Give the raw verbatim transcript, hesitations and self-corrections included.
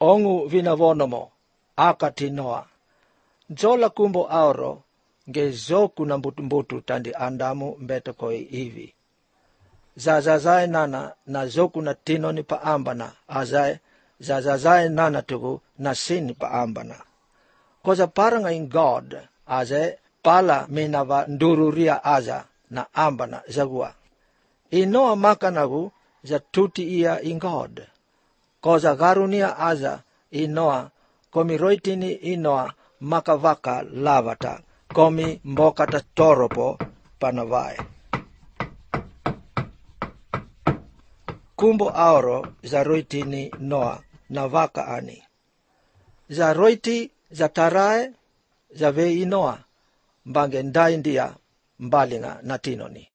ongu vinavonomo akati Noa. Jola kumbo auro nge zoku na mbutu-mbutu tandi andamu mbeto koi hivi. Zazazae nana na zoku na tino ni paambana azae zazazae nana tugu na sin paambana. Koza parang in God azae pala minava ndururia aza na ambana zagua. Inoa makanagu za tuti ia in God. Koza garunia aza inoa komi roitini inoa makavaka lavata komi mbokata toropo panavae. Kumbo auro za roitini Noa na vaka ani. Za roiti za tarae za vei Noa mbange ndai ndia mbalinga na tinoni.